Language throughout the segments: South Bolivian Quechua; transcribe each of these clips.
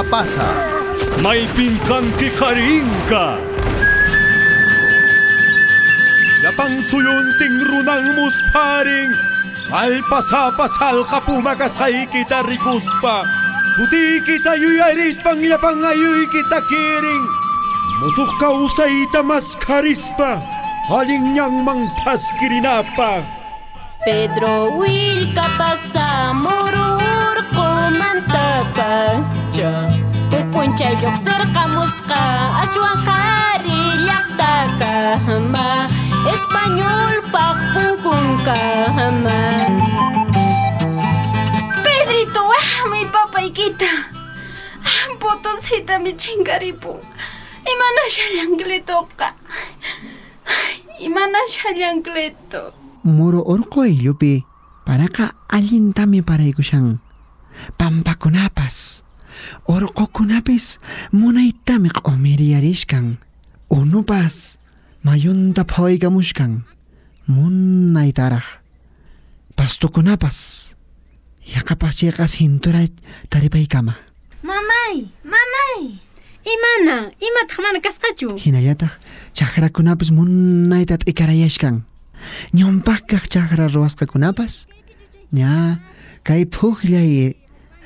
Vilcapasa. Maypin kanki qarinka. Llapan suyuntin runan musparin. Allpasapa salqa puma kasqaykita rikuspa. Sutiykita yuyarispan llapan ayuykita kirin. Musuq kawsayta maskharispa. Allin ñanman thaskirinapaq. Pedro Willkapasa muru urqumantapacha huk p'unchay lluqsirqamusqa ashwan qhari llaqtakama españolpaq punkunkama. Pedrito, waqmi papaykita. Potositami chinkaripun. Imanashallan Cletoqa. Imanashallan Cleto. Muru urqu ayllupi paraqa allintami paraykushan. Pampakunapas, urqukunapis munaytami q'umiriyarishkan. Unupas mayunta phawaykamushkan. Munaytaraj. Pastukunapas yaqapas chayqa cintura taripaykama. Mamay, mamay. Imana, imataq mana kasqachu? Hinallataq chakrakunapis munayta t'ikarayashkan. Ñawpaqkaq chakra ruwasqakunapas ña kay phukllay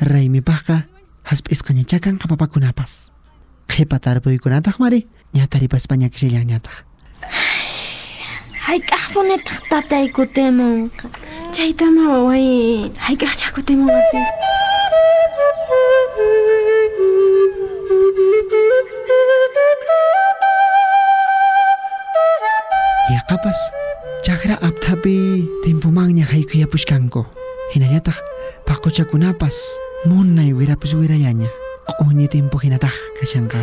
raymipaqqa hasp'isqañachá kanqa papakunapas. Qhipa tarpuykunataq mari ña taripaspa ñakishallanñataq. Hayk'aqpunitaq tatay kutimunqa. Chaytama waway, hayk'aqchá kutimunqapis. Yaqapas chakra apthapi timpumanña haykuyapushkanku. Hinallataq paquchakunapas munay wirapus wirallaña. Q'uñi timpu hinataq kashanqa.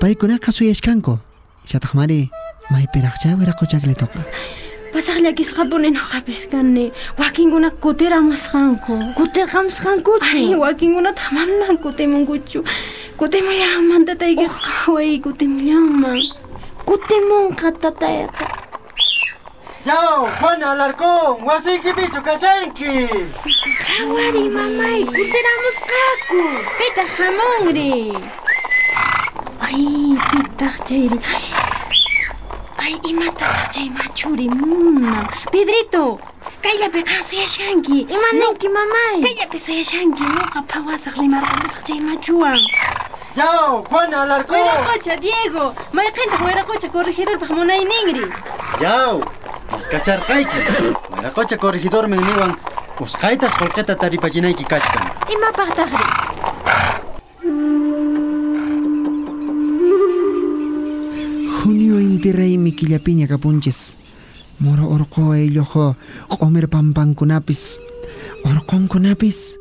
Paykunaqa suyashkanku. Chataq mari maypiraqchá wiraqucha Cletoqa. Pasaq llakisqapuni nuqapis kani. Wakinkuna kutiramusqanku. Kutirqamusqankuchu? Ay, wakinkunataq manan kutimunkuchu. Kutimullanman tataykiqa, way, kutimullanman. Kutimunqa tatayqa. Yaw, Juana Alarcón, wasiykipichu kashanki. Qhawari mamay, kutiramusqaku. Pitaq hamunri. Ay, pitaq chayri. Ay, imatataq chay machuri munan. Pedrito, kayllapi qan suyashanki. Ima ninki mamay? Kayllapi suyashanki. Ñuqa phawasaq rimarqamusaq chay machuwan. Yaw, Juana Alarcón. Wiraqocha, Diego. Mayqintaq wiraqocha corregidorpaq munayninri. Yaw, maskacharqayki. Wiraqocha corregidormi niwan usqhaytas qullqita taripachinayki kachkan. Imapaqtaqri? Junio inti raymi killapiña kapunchis. Muru urqu aylluqa q'umir pampankunapis, urqunkunapis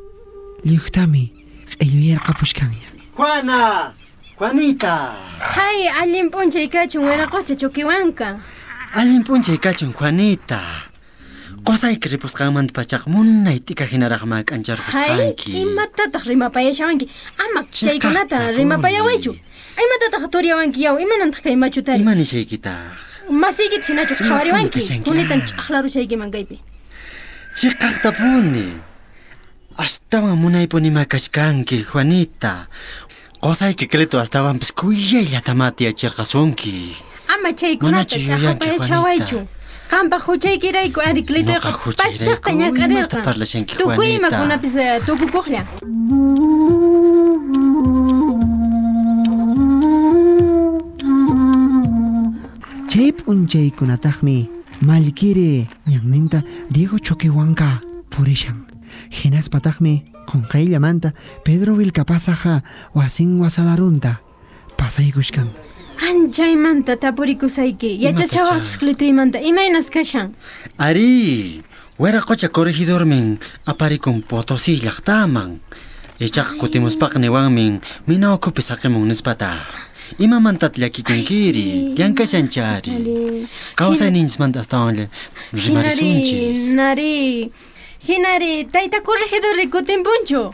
lliwtami q'illuyarqapushkanña. Juana, Juanita. Hay, allin p'unchay kachun wiraqocha Choquihuanca. Allin p'unchay kachun Juanita. Qusayki ripusqanmanta pachaq munay t'ika hinaraqma k'ancharqusqanki. Hay, imatataq rimapayashawanki? Ama chaykunata rimapayawaychu. Imatataq turiyawanki yaw, imanantaq kay machutari? Ima nishaykitaq? Masiykita hinachu qhawariwanki. Kunitan ch'aqlarushaykiman kaypi. Chiqaqtapuni. Astawan munaypunima kachkanki, Juanita. Qusayki Cleto astawanpis kuyayllatamá tiyachirqasunki. Ama chaykunata ch'aqlapayashawaychu. Qampaq huchaykirayku ari Cletoyqa pasaqta ñak'arirqan. Tukuy imakunapis tukukuqlla. Chay p'unchaykunataqmi mallkiri ñanninta Diego Choquihuanca purishan. Hinaspataqmi qunqayllamanta Pedro Vilcapasaqa wasin wasalarunta pasaykushkan. Anchaymanta tapurikusayki. Yachachawaqchus Cletoymanta imaynas kashan. Ari, wiraqocha corregidormin aparikun Potosí llaqtaman. Ichaqa kutimuspaqa niwanmin mina ukhupi saqimun nispataq. Imamantataq llakikunkiri? Llankashanchari. Kawsayninchismanta astawan rimarisunchis. Nari, hinari, tayta corregidorri kutinpunchu.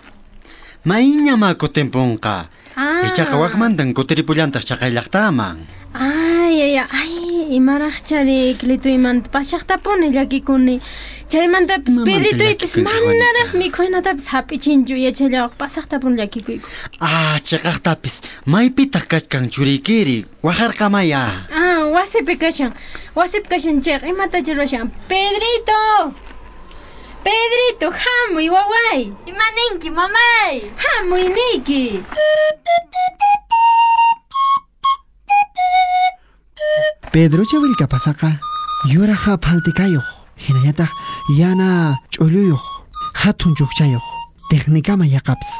Mayñamá kutinpunqa. Ichaqa wakmantan kutiripullantaq chaqay llaqtaman. Ay, ay, ay, Imaraqchari Cletoymanta pasaqtapuni llakikuni. Chaymantapis Pedritoypis manaraq mikhunatapis hap'ichinchu yachallawaq pasaqtapuni llakikuyku. Ah, chiqaqtapis maypitaq kachkan churiykiri waqarqamaya. Ah, wasipi kashan. Wasipi kashan chayqa imatacha ruwashan. Pedrito! Pedrito, hamuy waway. Ima ninki mamay? Hamuy niyki. Pedrocha Vilcapasaqa yuraqa phaltikayuq, hinallataq yana ch'ulluyuq, hatun chukchayuq, técnicama yaqapis,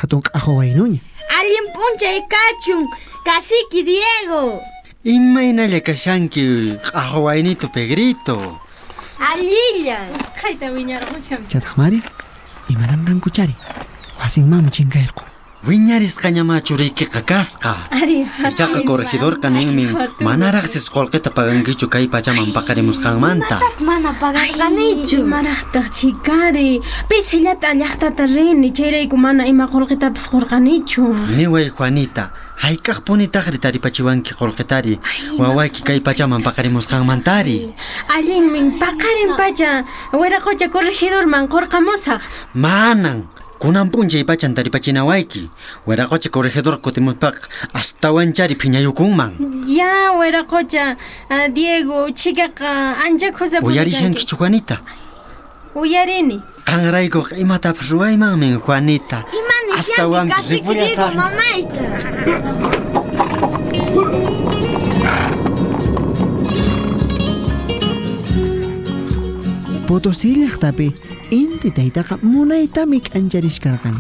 hatun q'aqu waynuña. Allin p'unchay kachun, cacique Diego. Imaynalla kashanki q'aqu waynito Pedrito. Allilla. Usqhayta wiñarqushan. Chataqmari, imananqankuchari, wasinmanmi chinkayarqun. Wiñarisqañama churiykiqa kasqa. Ari, Ichaqa corregidorqa ninmi manaraqsis qullqita pagankichu kay pachaman paqarimusqanmanta. Imatat mana pagarqanichu. Imaraqtaq chikari, pisillata llaqtata rini, chayrayku mana ima qullqitapis qurqanichu. Niway Juanita, hayk'aqpunitaqri taripachiwanki qullqitari, wawayki kay pachaman paqarimusqanmantari. Allinmin paqarin pacha, wiraqocha corregidorman qurqamusaq. Manan. Kunan p'unchay pachan taripachinawayki. Wiraqocha corregidor kutimuspaqa astawanchari phiñayukunman. Ya, wiraqocha, Diego, chikaqa ancha khusapuni. Uyarishankichu Juanita? Uyarini. Qanraykuqa imatapas ruwaymanmi Juanita. Ima nishanki cacique Diego mamayta? Potosí llaqtapi inti taytaqa munaytami k'ancharishkarqan.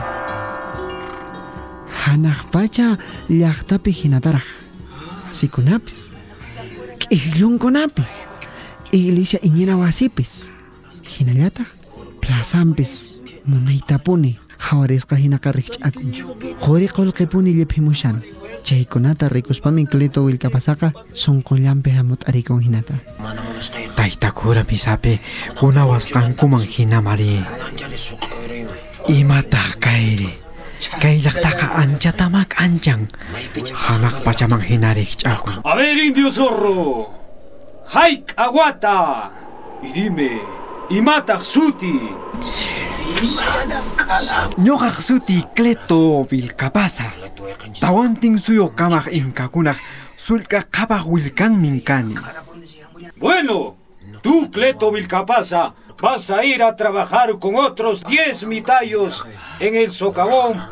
Hanaq pacha llaqtapi hinataraq. Wasikunapis, k'ijllunkunapis, iglesia iñina wasipis, hinallataq plazanpis munaytapuni qhawarisqa hinaqa rikch'akun. Quri qullqipuni lliphimushan. Chaykunata rikuspami Cleto Vilcapasaqa sunqullanpi hamut'arikun hinata. Tayta cura misapi kunawasqankuman hinamari. Imataq kayri? Kay llaqtaqa anchatamak anchan. Hanaq pachaman hina rikch'akun. A ver, indio zorro. Haik aguata. Y dime, imataq suti. Ñuqaq suti Cleto Vilcapasa. Tawantin suyo kamaq inkakunaq sullk'a qhapaq willkanmin kani. Bueno, tú, Cleto Vilcapasa, vas a ir a trabajar con otros 10 mitayos en el socavón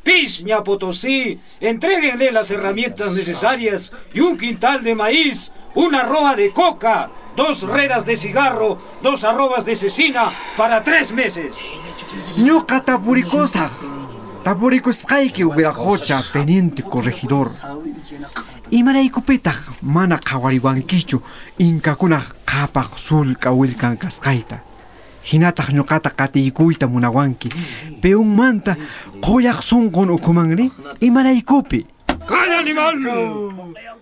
Pishña Potosí. Entréguenle las herramientas necesarias y un quintal de maíz, una arroba de coca, 2 redas de cigarro, 2 arrobas de cecina para 3 meses. Ñuqa tapurikusaq. Tapurikusqayki wiraqocha teniente corregidor. Imaraykupitaq mana qhawariwankichu inkakunaq qhapaq sullk'a willkan kasqayta. Hinataq ñuqata qatiykuyta munawanki. Peunmanta quyaq sunqun ukhumanri imaraykupi. ¡Calla, animal!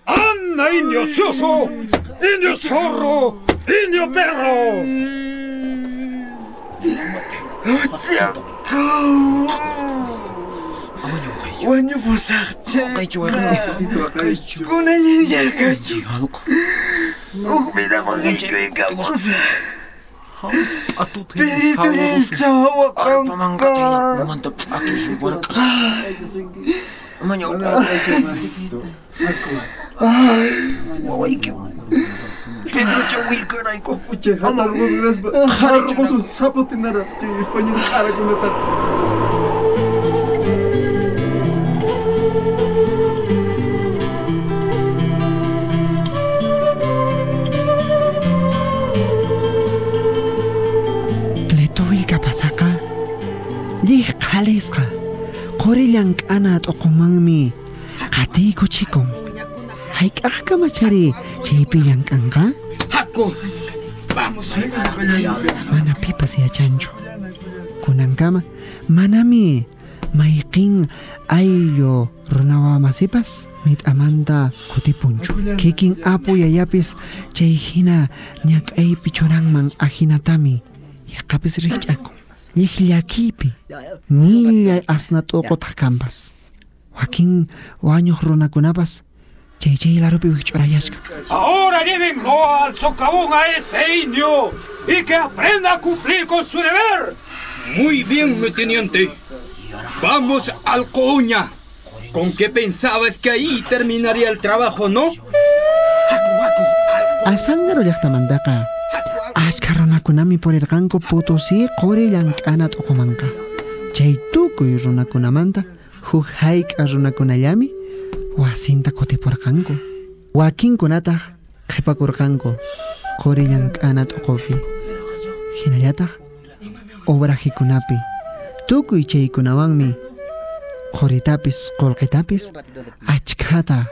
¡Anda, indio ocioso! ¡Indio zorro! ¡Indio perro! Wañupusaqcha. Kunallayakachu. Huk vidaman haykuykamusaq. Pedrito waqanqa. Pedrocha willkarayku. Español q'arakunata. Cleto Vilcapasaqa lliqhalisqa quri llank'ana t'uqumanmi qatiykuchikun. Hayk'aqkamachari chaypi llank'anqa? Haku, vamos. Mana pipas yachanchu. Kunankama manami mayqin ayllu runawamasipas mit'amanta kutipunchu. Kikin apu yayapis chay hina ñak'aypi churanman ahinatami yaqapis rikch'akun. Lliqllakipi millay asna t'uqutaq kanpas. Wakin wañuq runakunapas Chay chay larupi wikch'urayashka. Ahora llévenlo al socavón a este indio y que aprenda a cumplir con su deber. Muy bien, mi teniente. Vamos al Coña. ¿Con qué pensabas que ahí terminaría el trabajo, no? Azángaro llaqtamantaqa achka runakunami purirqanku Potosí quri llank'ana t'uqumanqa. Chay tukuy runakunamanta huk hayk'a runakunallami wasinta kutipurqanku. Wakinkunataq qhipakurqanku quri llank'ana t'uqupi. Hinallataq obrajikunapi tukuy chaykunawanmi quritapis qullqitapis achkata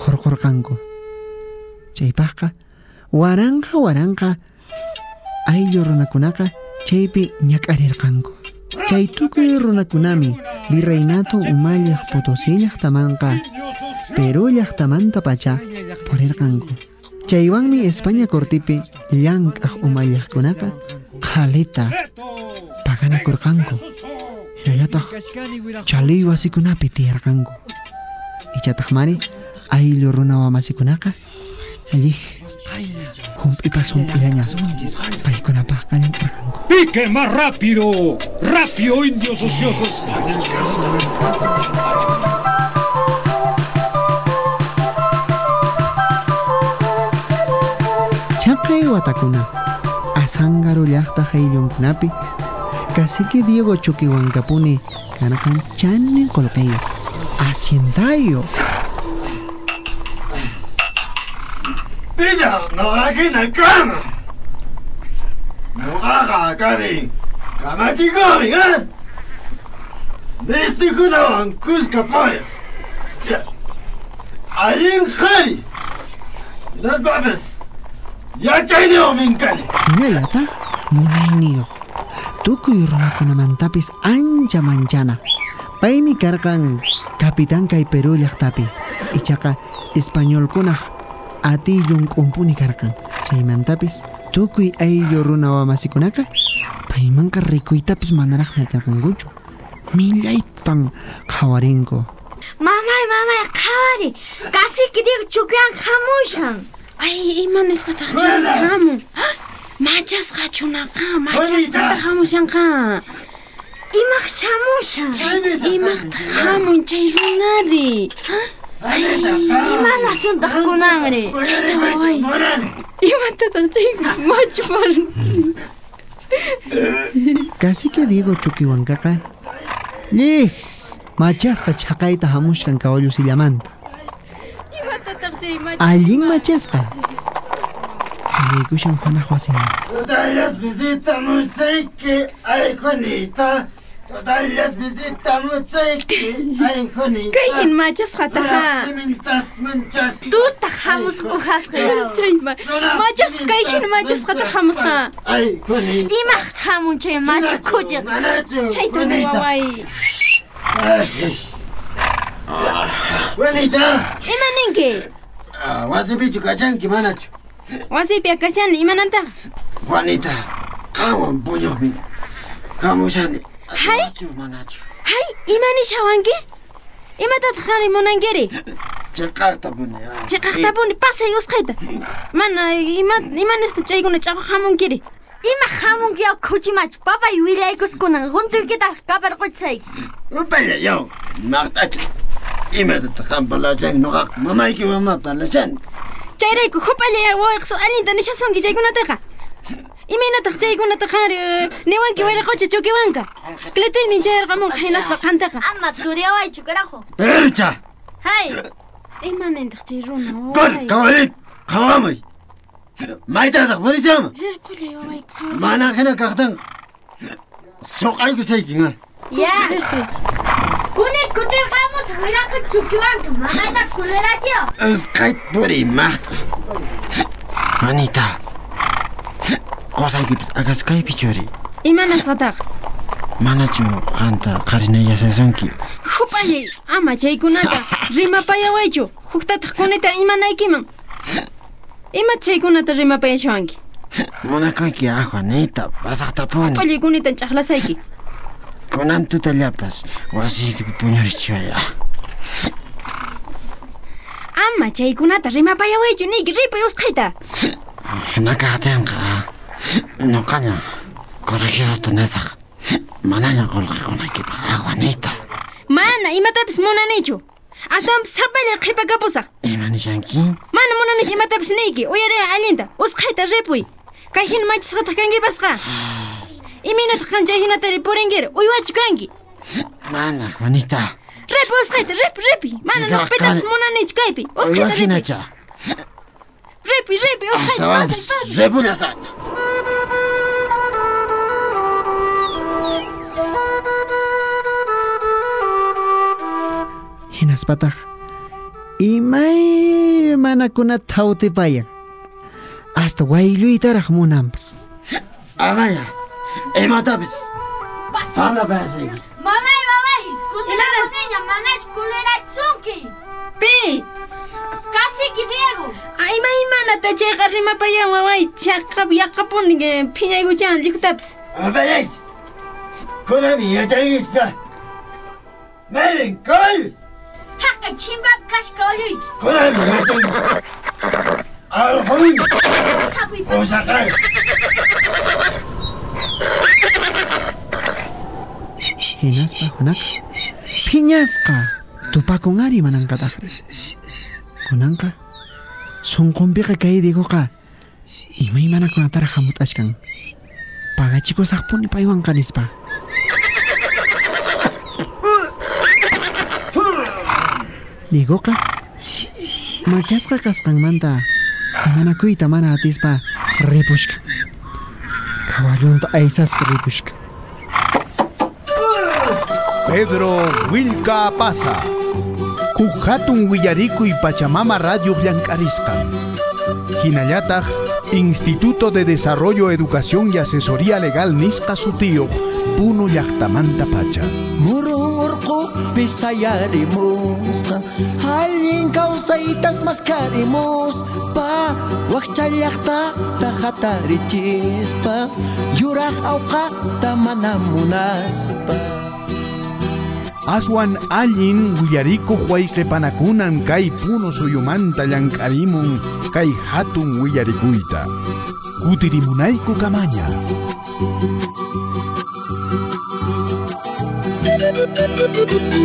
hurqurqanku. Chaypaqqa waranqa waranqa ayllu runakunaqa chaypi ñak'arirqanku. Chay tukuy runakunami virreinato umalliq Potosí llaqtamanqa Perú llaqtamantapacha purirqanku. Chaywanmi España cortipi llank'aq umalliqkunaqa qhalita paganakurqanku. Hinallataq chaliy wasikunapi tiyarqanku. Ichataq mari ayllu runa wamasikunaqa allij hump'ipas hump'illaña paykunapaqqa llank'arqanku. ¡Pique más rápido! ¡Rápido, indios ociosos! Chaqay watakuna Azángaro llaqta ayllunkunapi cacique Diego Choquehuancapuni karqan chanin qullqiyuq haciendayuq. Pilla, noqakina kama. Noqaqa kani kamachikuqmi, ¿eh? Mistikunawan kuska puriq. Allin qhari. Hinaspapis yachayniyuqmin kani. Hinallataq munayniyuq. Tukuy runakunamantapis ancha manchana. Paymi karqan capitán kay Perú llaqtapi. Ichaqa españolkunaq atillun k'umpuni karqan. Chaymantapis tukuy ayllu runa wamasikunaqa paymanqa rikuytapis manaraqmi atirqankuchu. Millaytan qhawarinku. Mamay, mamay, qhawari. Cacique Diego Chuquian hamushan. Ay, ima nisqataq chay hamun. Machasqa chunaqa, machasqataq hamushanqa. Imaq chamushan. Chay imaqtaq hamun chay runari. Ay, ima nasuntaq kunanri. Chayta waway. Imatataq chay machu par. Cacique Diego Choquehuancaqa llij machasqa chhaqayta hamushkan caballo sillamanta. Imatataq chay machu. Allin machasqa. Chayaykushan Juanaq wasinman. Totallas visitamusayki, ay Juanita. Totallas visitamusayki, ay Juanita. Kayhin machasqataqa. Tutaq hamusqa uhasqa. Chay machasqa kayhin machasqataq hamusqa. Ay Juanita. Imaq hamun chay machu khuchiq. Chayta waway. Juanita. Ima ninki? Wasipichu kachanki manachu? Wasipi akashani imanantaq? Juanita, qanwan puñuqmi hamushani. Hay? Manachu? Hay, ima nishawanki? Imatataq qanri munankiri? Chiqaqtapuni. Chiqaqtapuni pasay usqhayta. Mana ima nisqa chaykuna ch'aqwaq hamunkiri? Ima hamunki yaw khuchi machu papay willaykuskunan runtuykitaq kaparquchisayki. Upalla yaw, maqt'acha. Imatataq qan parlashanki nuqaqa mamayki mama parlashan. Chayrayku hupalla yaw wawayqa allinta nishasunki chaykunataqa. Imaynataq chaykunata qanri niwanki wiraqocha Choquehuanca. Cletuymi chayarqamunqa hinaspa qantaqa. Ama turiyawaychu carajo. Percha. Hay. Ima nintaq chay runa waway? Kor, caballit, qhawamuy. Maytataq purishanman. Rirqullay waway, qhaway. Mana hina kaqtinqa suq'aykusaykin, ha. Ya. Kunit kutirqamusaq wiraqocha Choquehuanca mamayta kulerachiyo. Usqhayta puriy maqt'a. Juanita. Qosaykipis akasu kaypi churi. Ima nisqataq? Manachu qanta qarinayashasunki? Hupallay, ama chaykunata rimapayawaychu. Huktataq kunita imanaykiman. Ima chaykunata rimapayashawanki? Munakuyki ah, Juanita, pasaqtapuni. Hupallay kunita ch'aqlasayki. Kunan tutallapas wasiykipi puñurichiway ah. Ama chaykunata rimapayawaychu niyki, ripuy usqhayta. Hina kaqtinqa noqaña corregidorta nisaq. Manaña qolqe qonaykipaq, Juanita. Mana imatapis munanichu. Astawanpis sapalla qhipakapusaq. Ima nishanki? Mana munanichu imatapis niyki, uyariway allinta. Usqhayta ripuy. Kay hina machisqataq kankipasqa. Imaynataq qan chay hinatari purinkiri? Uywachu kanki? Mana, Juanita. Ripuy usqhayta, ripuy, ripuy. Mana Chayqa noqa pitapis kani- munanichu kaypi. Usqhayta Uywa ripuy. hinacha. Ripuy, ripuy, usqhayta. Astawanpis pasay, pasay. ripullasaq. Hinaspataq imaymanakunata thawtipayan. Hasta waylluytaraq munanpas. Amaña, imatapis parlapayasayki. Mamay, mamay, kutiramusina manash kulerachunki. Pi? Cacique Diego. Ay, imaymanata chayqa rimapayan waway, chaqap yaqapuni phiñaykuchan llikutapis. Apayaychis. Kunanmi yachaykisa. Mayrin, caballo. Haqay chimpap kasqa kawalluyki. Kunanmi yachaykis. Alquymi. Sapuy Usaqay. Hinaspa Juanaqa phiñasqa tupakun ari manankataqri. Kunanqa sunqunpiqa kay Diegoqa imaymanakunataraq hamut'achkan. Pagachikusaqpuni paywanqa nispa. Diegoqa machasqa kasqanmanta imanakuyta mana atispa ripushkan. Kawallunta aysaspa ripushkan. Pedro Willka Pasa. Huk hatun willarikuy Pachamama Radio llank'arisqan. Hinallataq Instituto de Desarrollo, Educación y Asesoría Legal nisqa sutiyuq Puno llaqtamanta pacha. Murun urqupi sayarimusqa, allin kawsaytas maskarimuspa, wakcha llaqtata hatarichispa, yuraq awqata mana munaspa. Aswan allin willarikuq wayqipanakunan kay Puno suyumanta llank'arimun kay hatun willarikuyta. Kutirimunayku kamaña. Thank you.